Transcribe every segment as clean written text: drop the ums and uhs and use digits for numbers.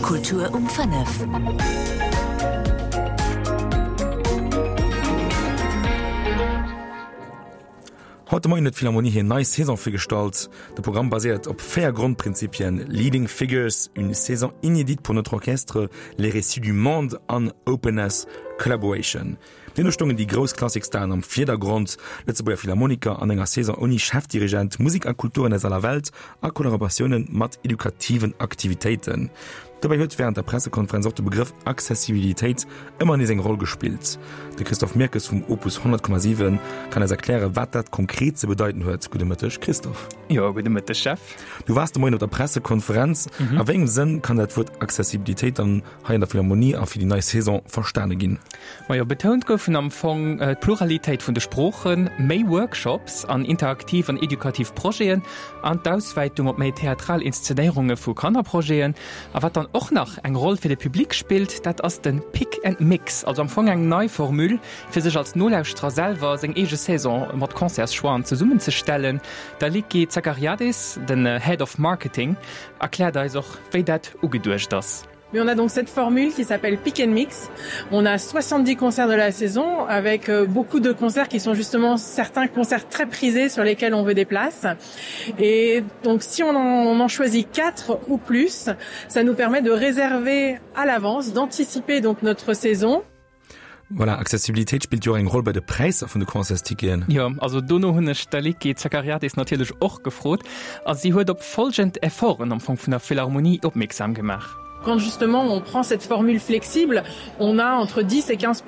Kultur um 5. Haut de Moien huet d'Philharmonie hir nei Saison virgestallt. De Programm baséiert op 4 Grondprinzipien, Leading Figures, une saison inédite pour notre orchestre, les récits du monde an Openness, Collaboration. Deemno stoungen déi grouss Klassikstaren am Virdergrond, Lëtzebuerger Philharmoniker an enger Saison ouni Chefdirigent, Musek a Kulturen aus aller Welt a Kollaboratioune mat edukativen Aktivitéiten. Dobäi huet wärend der Pressekonferenz och de Begrëff Accessibilitéit ëmmer nees eng Roll gespillt. De Christophe Mirkes vum Opus 100,7 kann eis erklären, wat dat konkret ze bedeiten huet. Gudde Mëtteg, Christophe. Jo, gudde Mëtteg, Jeff. Du waars de Moien op der Pressekonferenz. A wéi engem Sënn kann dat Wuert Accessibilitéit dann hei an der Philharmonie a fir déi nei Saison verstane ginn? Majo, betount goufen am Fong d'Pluralitéit vun de Sproochen, méi Workshops an interaktiv an edukativ Projeten an d'Auswäitung op méi theatral Inszenéierunge vu Kannerprojeten. A wat dann och nach eng Roll fir de Public spillt, dat ass de Pick and Mix, also am Fong eng nei Formule, fir sech als Nolauschterer selwer seng eege Saison mat Concertschoixen zesummenzestellen. D'Aliki Zachariadis, den Head of Marketing, erkläert eis och, wéi dat ugeduecht ass. Mais on a donc cette formule qui s'appelle Pick and Mix. On a 70 concerts de la saison avec euh, beaucoup de concerts qui sont justement certains concerts très prisés sur lesquels on veut des places. Et donc si on en, on en choisit quatre ou plus, ça nous permet de réserver à l'avance, d'anticiper donc notre saison. Voilà, Accessibilitéit spillt jo och eng Roll bei de Präisser vun de Concertsticketen. Jo, also dono hunn ech d'Aliki Zachariadis natierlech och gefrot a si huet op folgend Efforten am Fong vun der Philharmonie opmierksam gemaach. Quand justement on prend cette formule flexible, on a entre 10 et 15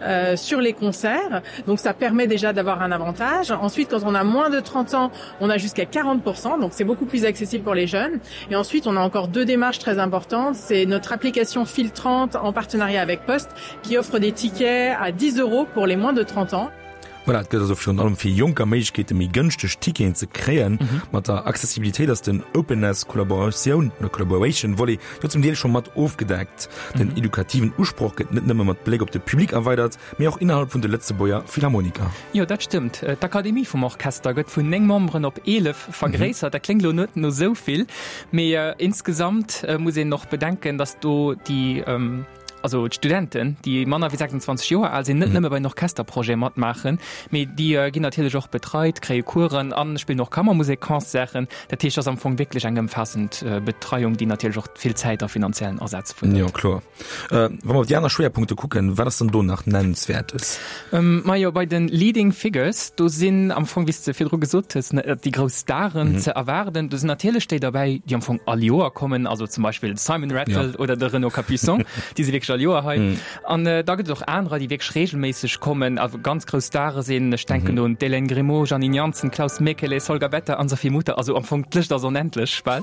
euh, sur les concerts. Donc ça permet déjà d'avoir un avantage. Ensuite, quand on a moins de 30 ans, on a jusqu'à 40 donc c'est beaucoup plus accessible pour les jeunes. Et ensuite, on a encore deux démarches très importantes. C'est notre application filtrante en partenariat avec Post qui offre des tickets à 10 euros pour les moins de 30 ans. Voilà, et gëtt also virun allem fir Jonker Méiglechkeete méi gënschteg Ticketen ze kréien. Mat der Accessibilitéit ass den Openness, Kollaboratioun oder Collaboration Volet jo zum Deel scho mat ofgedeckt. Den edukativen Usproch gëtt net nëmme mat Bléck op de Public erweidert, mee och innerhalb vun de Lëtzebuerger Philharmoniker. Jo, dat stëmmt. D'Akademie vum Orchester gëtt vun 9 Memberen op 11 vergréissert. Dat kléngt elo net no esou vill, mee insgesamt muss een och bedenken, datt do déi, also d'Studenten, déi manner wéi 26 Joer al sinn, net nëmme bei den Orchesterprojete matmaachen, mee déi ginn natierlech och betreit, kréie Coursen a spillen och Kammermusekconcerten. Dat heescht, et ass am Fong wierklech eng ëmfaassend Betreiung, déi natierlech och vill Zäit a finanziellen Asaz fuerdert. Jo, kloer. Wa mer op déi aner Schwéierpunkte kucken, wat ass dann do nach Nennenswäertes? Majo, bei de Leading Figures, do sinn am Fong, wéi s de virdru gesot hues, déi grouss Staren ze erwaarden. Do sinn natierlech déi derbäi, déi am Fong all Joer kommen, also zum Beispill de Simon Rattle oder de Renaud Capuçon, déi si wierklech all Joer hei. An da gëtt et och anerer, déi wierklech reegelméisseg kommen a ganz grouss Stare sinn. Ech denken do un d'Hélène Grimaud, Janine Jansen, Klaus Mäkelä, Solga Better, Anne-Sophie Mutter, also am Fong d'Lëscht ass onendlech bal.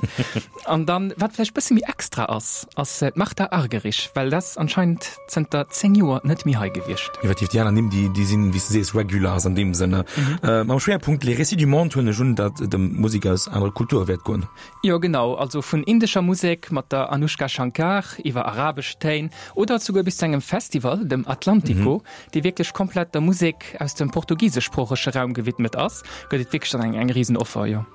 An dann, wat vläicht bësse méi extra ass, ass d'Martha Argerich, well dat ass anscheinend zënter 10 Joer net méi hei gewiescht. Effektiv, déi aner Nimm, déi, déi sinn, wéi s de sees, Regulars an deem Sënne. Mam Schwéierpunkt Les Récits du Monde huelen ech un, datt et ëm Musek aus anere Kulture wäert goen. Jo, genau, also vun indescher Musek mat der Anoushka Shankar iwwer arabesch Téin oder souguer bis zu engem Festival, dem Atlantico, dee wierklech komplett der Musek aus dem portugiseschsproochege Raum gewidmet ass, gëtt et wierklech dann eng, eng Risenoffer, jo.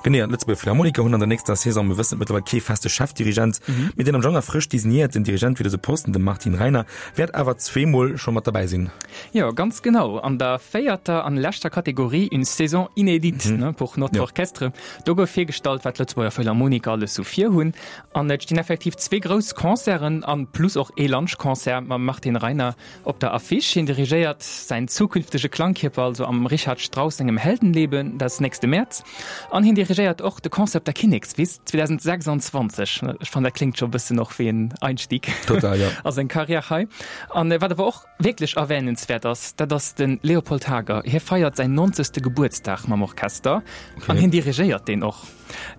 Genee, an d'Lëtzebuerger Philharmoniker hunn an der nächster Saison, mir wëssen et mëttlerweil, kee feste Chefdirigent, mee deen am Januar frësch designéierten Dirigent fir dëse Posten, de Martin Reiner, wäert awer zweemol scho mat derbäi sinn. Jo, ganz genau. An der véierter an leschter Kategorie, Une saison inédite pour notre orchestre, do gouf virgestallt, wat d'Lëtzebuerger Philharmoniker alles sou virhunn. An et stinn effektiv zwee grouss Concerten an plus och ee Lunchconcert mam Martin Reiner Op der Affiche, Hien dirigéiert säin zukünftege Klangkierper also am Richard Strauss sengem Heldenleben, dat nächste Mäerz. An hien dirigéiert och de Concert op der Kinnekswiss 2026. Ech fannen, dat kléngt scho e bëssen och wéi en Einstieg Total, ja. a seng Karriär hei. An wat awer och wierklech erwähnenswäert ass, dat ass de Leopold Hager. Hie feiert säin 90. Gebuertsdag mam Orchester an hien dirigéiert deen och.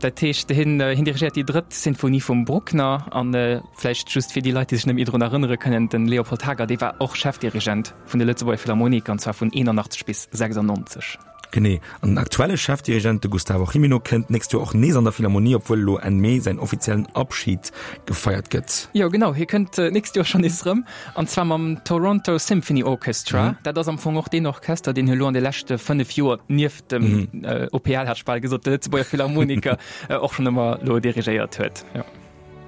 Dat heescht, hien dirigéiert déi drëtt Sinfonie vum Bruckner. An vläicht just fir déi Leit, déi sech net méi drun erënnere kënnen, de Leopold Hager, dee war och Chefdirigent vun de Lëtzebuerger Philharmoniker, an zwar vun 81 bis 96. Genee. An den aktuelle Chefdirigent, de Gustavo Gimeno, kënnt d'nächst Joer och nees an der Philharmonie, obwuel elo Enn Mee säin offiziellen Abschid gefeiert gëtt. Jo, genau, hie kënnt d'nächst Joer schonn nees erëm, an zwar mam Toronto Symphony Orchestra. Dat ass am Fong och deen Orchester, deen hie elo an de leschte 5 Joer nieft dem OPL hat ech bal gesot, de Lëtzebuerger Philharmoniker och schonn ëmmer elo dirigéiert huet. Jo.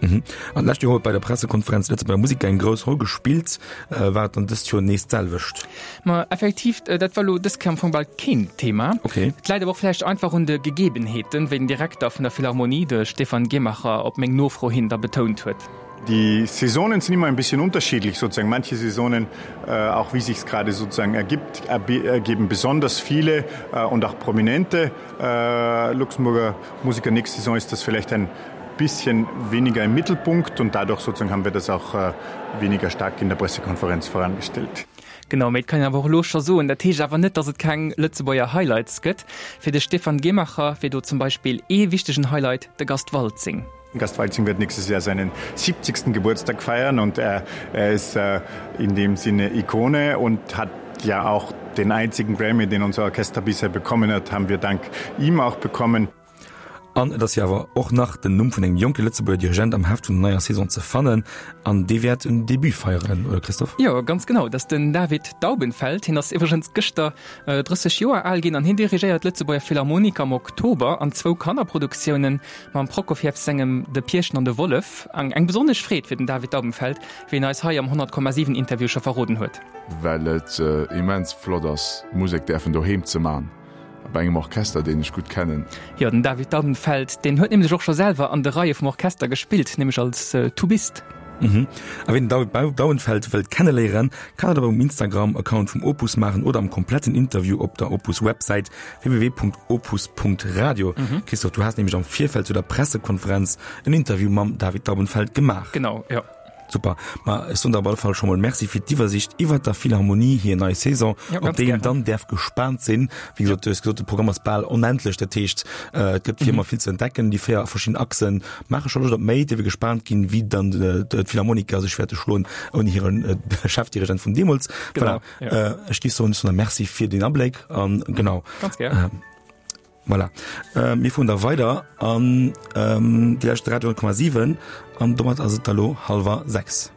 Mhm. An d'lescht Joer huet bei der Pressekonferenz d'Lëtzebuerger Musiker eng grouss Roll gespillt. War et dann dëst Joer nees d'selwecht? Ma effektiv, dat war elo dës Kéier am Fong bal keen Thema. Okay. Et läit awer och vläicht einfach un de Gegebenheeten, wéi den Direkter vun der Philharmonie, de Stefan Gehmacher, op meng Nofro hin da betount huet. Die Saisonen sind immer ein bisschen unterschiedlich sozusagen. Manche Saisonen, äh, auch wie sich's gerade sozusagen ergibt, ergeben besonders viele äh, und auch prominente äh, Luxemburger Musiker. Nächste Saison ist das vielleicht ein bisschen weniger im Mittelpunkt und dadurch sozusagen haben wir das auch äh, weniger stark in der Pressekonferenz vorangestellt. Genau, mee et kann een awer och elo scho soen, dat heescht awer net, datt et keng Lëtzebuerger Highlights gëtt. Fir de Stefan Gehmacher wier do zum Beispill ee wichtegen Highlight de Gast Waltzing. Gast Waltzing wird nächstes Jahr seinen 70. Geburtstag feiern und er, er ist äh, in dem Sinne Ikone und hat ja auch den einzigen Grammy, den unser Orchester bisher bekommen hat, haben wir dank ihm auch bekommen. An et ass jo awer och nach den Numm vun engem jonke Lëtzebuerger Dirigent am Heft vun der neier Saison ze fannen. An dee wäert en Debut feieren, oder Christophe? Jo, ganz genau, dat ass den David Daubenfeld. Hien ass iwwregens gëschter 30 Joer al ginn an hien dirigéiert d'Lëtzebuerger Philharmoniker am Oktober an zwou Kannerproduktiounen mam Prokofjew sengem De Pierchen an de Wollef. Eng besonnesch Freed fir den David Daubenfeld, wéi en eis hei am 100,7 Interview scho verroden huet. Well et immens flott ass, Musek däerfen doheem ze man. Bei engem Orchester, deen ech gutt kennen. Jo, den David Daubenfeld, deen huet nämlech och scho selwer an de Reie vum Orchester gespillt, nämlech als Tubist. Mhm. A wien den David Daubenfeld wëllt kenneléieren, kann dat op um Instagram-Account vum Opus maachen oder am kompletten Interview op der Opus-Websäit www.opus.radio. Christophe, du has nämlech am Virfeld zu der Pressekonferenz en Interview mam David Daubenfeld gemaach. Genau, jo. Super, ma ech soen der op alle Fall scho mol Merci fir d'Iwwersicht iwwert der Philharmonie hir nei Saison, ja, op déi een dann däerf gespaant sinn. Wéi gesot, du hues gesot, de Programm ass bal onendlech, dat heescht äh, et gëtt fir ëmmer mhm. vill ze entdecken. Déi véier verschidden Achsen maache scho Loscht op méi. Dierf gespaant ginn, wéi dann äh, d'Philharmoniker sech wäerte schloen ouni hiren äh, Chefdirigent vun deemools. Voilà. Ja. Äh, ech géif soen, ech soen der Merci fir den Abléck an genau. Ganz gär. Äh, Voilà. Äh, mir fueren da weider an ähm, Dir lauschtert Radio 10,7 an domat ass et da lo hallwer 6.